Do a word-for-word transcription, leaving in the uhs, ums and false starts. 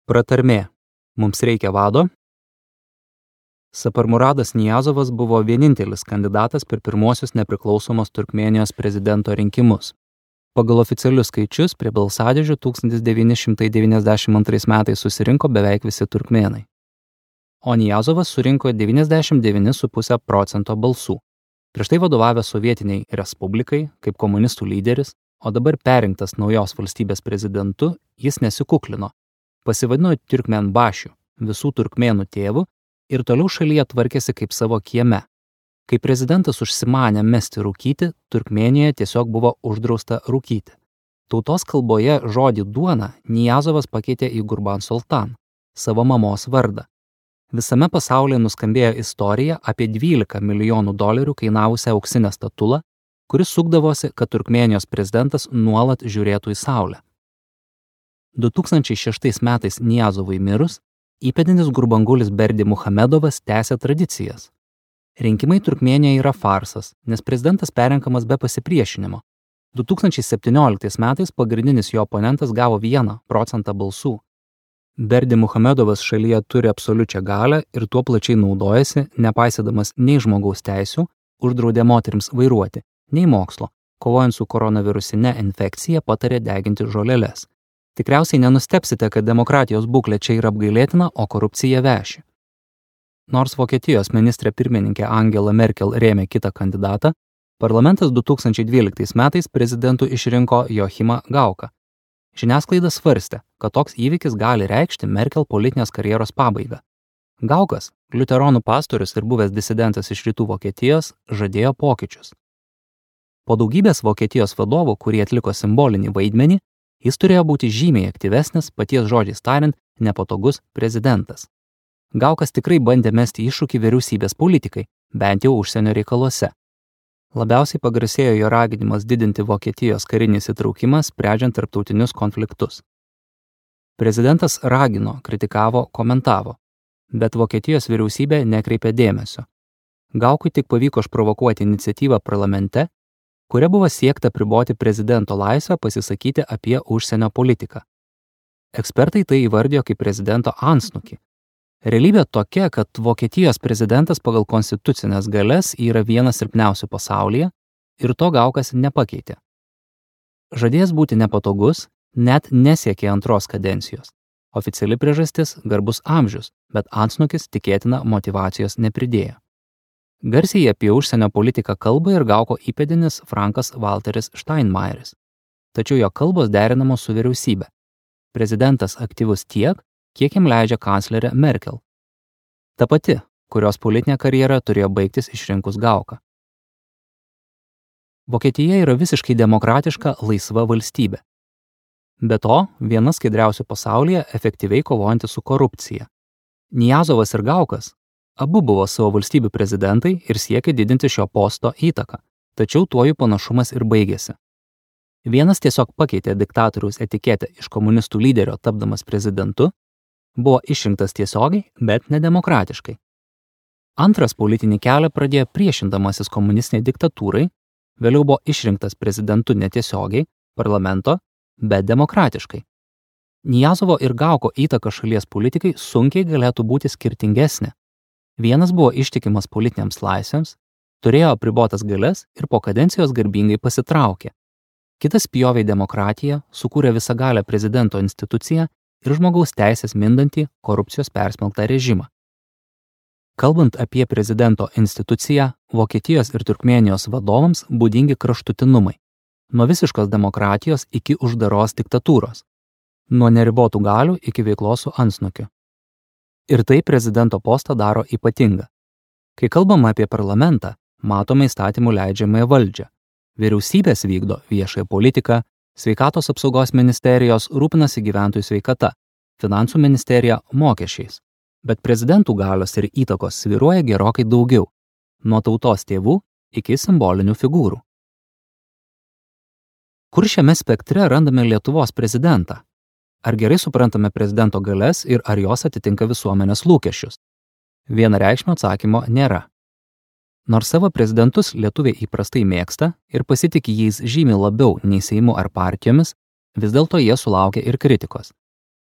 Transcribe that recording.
Pratarmė. Mums reikia vado. Saparmuradas Niyazovas buvo vienintelis kandidatas per pirmuosius nepriklausomos Turkmėnijos prezidento rinkimus. Pagal oficialius skaičius prie balsadėžių tūkstantis devyni šimtai devyniasdešimt antrais metais susirinko beveik visi turkmėnai. O Niyazovas surinko devyniasdešimt devyni su puse procento balsų. Prieš tai vadovavęs sovietiniai respublikai kaip komunistų lyderis, o dabar perrinktas naujos valstybės prezidentu, jis nesikuklino. Pasivadino Turkmenbašiu, visų turkmėnų tėvu, ir toliau šalyje tvarkėsi kaip savo kieme. Kai prezidentas užsimanė mesti rūkyti, Turkmėnijoje tiesiog buvo uždrausta rūkyti. Tautos kalboje žodį duona Niyazovas pakeitė į Gurban Sultan, savo mamos vardą. Visame pasaulyje nuskambėjo istorija apie dvylika milijonų dolerių kainavusią auksinę statulą, kuris sukdavosi, kad Turkmėnijos prezidentas nuolat žiūrėtų į saulę. du tūkstančiai šeštais metais Niyazovui mirus, įpėdinis Gurbangulis Berdi Muhamedovas tęsė tradicijas. Rinkimai Turkmėnijoje yra farsas, nes prezidentas perrenkamas be pasipriešinimo. du tūkstančiai septynioliktais metais pagrindinis jo oponentas gavo vieną procentą balsų. Berdi Muhamedovas šalyje turi absoliučią galią ir tuo plačiai naudojasi, nepaisydamas nei žmogaus teisių, uždraudė moterims vairuoti, nei mokslo, kovojant su koronavirusine infekcija patarė deginti žoleles. Tikriausiai nenustepsite, kad demokratijos būklė čia yra apgailėtina, o korupcija veši. Nors Vokietijos ministrė pirmininkė Angela Merkel rėmė kitą kandidatą, parlamentas du tūkstančiai dvyliktais metais prezidentu išrinko Joachimą Gauką. Žiniasklaida svarstė, kad toks įvykis gali reikšti Merkel politinės karjeros pabaigą. Gaukas, liuteronų pastorius ir buvęs disidentas iš rytų Vokietijos, žadėjo pokyčius. Po daugybės Vokietijos vadovų, kurie atliko simbolinį vaidmenį, jis turėjo būti žymiai aktyvesnis, paties žodžiais tariant, nepatogus prezidentas. Gaukas tikrai bandė mesti iššūkį vyriausybės politikai, bent jau užsienio reikaluose. Labiausiai pagarsėjo jo raginimas didinti Vokietijos karinį įsitraukimą, sprendžiant tarptautinius konfliktus. Prezidentas ragino, kritikavo, komentavo, bet Vokietijos vyriausybė nekreipė dėmesio. Gaukui tik pavyko išprovokuoti iniciatyvą parlamente, kuria buvo siekta priboti prezidento laisvę pasisakyti apie užsienio politiką. Ekspertai tai įvardijo kaip prezidento antsnukį. Realybė tokia, kad Vokietijos prezidentas pagal konstitucinės galias yra vienas silpniausių pasaulyje ir to Gaukas nepakeitė. Žadėjęs būti nepatogus, net nesiekė antros kadencijos. Oficiali priežastis – garbus amžius, bet antsnukis tikėtina motyvacijos nepridėjo. Garsiai apie užsienio politiką kalba ir Gauko įpėdinis Frankas Walteris Steinmeieris. Tačiau jo kalbos derinamos su vyriausybė. Prezidentas aktyvus tiek, kiek jam leidžia kanclerė Merkel. Ta pati, kurios politinė karjera turėjo baigtis išrinkus Gauką. Vokietija yra visiškai demokratiška, laisva valstybė. Be to, viena skaidriausių pasaulyje efektyviai kovojanti su korupcija. Niyazovas ir Gaukas abu buvo savo valstybių prezidentai ir siekė didinti šio posto įtaką, tačiau tuo jų panašumas ir baigėsi. Vienas tiesiog pakeitė diktatoriaus etiketę iš komunistų lyderio tapdamas prezidentu, buvo išrinktas tiesiogiai, bet nedemokratiškai. Antras politinį kelią pradėjo priešindamasis komunistiniai diktatūrai, vėliau buvo išrinktas prezidentu netiesiogiai, parlamento, bet demokratiškai. Nijazovo ir Gauko įtaka šalies politikai sunkiai galėtų būti skirtingesnė. Vienas buvo ištikimas politiniams laisvėms, turėjo apribotas galias ir po kadencijos garbingai pasitraukė. Kitas pjovė demokratiją, sukūrė visagalę prezidento instituciją ir žmogaus teisės mindantį korupcijos persmelktą režimą. Kalbant apie prezidento instituciją, Vokietijos ir Turkmėnijos vadovams būdingi kraštutinumai. Nuo visiškos demokratijos iki uždaros diktatūros. Nuo neribotų galių iki veiklos su antsnukiu. Ir tai prezidento postą daro ypatingą. Kai kalbama apie parlamentą, matome įstatymų leidžiamąją valdžią. Vyriausybės vykdo viešąją politiką, sveikatos apsaugos ministerijos rūpinasi gyventojų sveikata, finansų ministerija mokesčiais. Bet prezidentų galios ir įtakos svyruoja gerokai daugiau, nuo tautos tėvų iki simbolinių figūrų. Kur šiame spektre randame Lietuvos prezidentą? Ar gerai suprantame prezidento galias ir ar jos atitinka visuomenės lūkesčius? Vienareikšmio atsakymo nėra. Nors savo prezidentus lietuviai įprastai mėgsta ir pasitiki jais žymiai labiau nei Seimu ar partijomis, vis dėlto jie sulaukia ir kritikos.